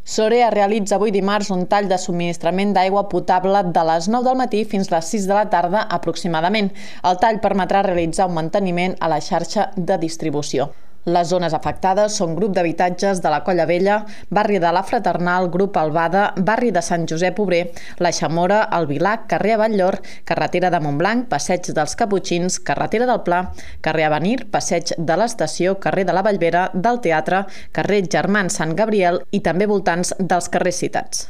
Sorea realitza avui dimarts un tall de subministrament d'aigua potable de les 9 del matí fins les 6 de la tarda aproximadament. El tall permetrà realitzar un manteniment a la xarxa de distribució. Les zones afectades són grup d'habitatges de la Colla Vella, barri de la Fraternal, grup Albada, barri de Sant Josep Obrer, la Xamora, el Vilac, carrer Avetllor, carretera de Montblanc, passeig dels Caputxins, carretera del Pla, carrer Avenir, passeig de l'Estació, carrer de la Vallvera, del Teatre, carrer Germans Sant Gabriel i també voltants dels carrers citats.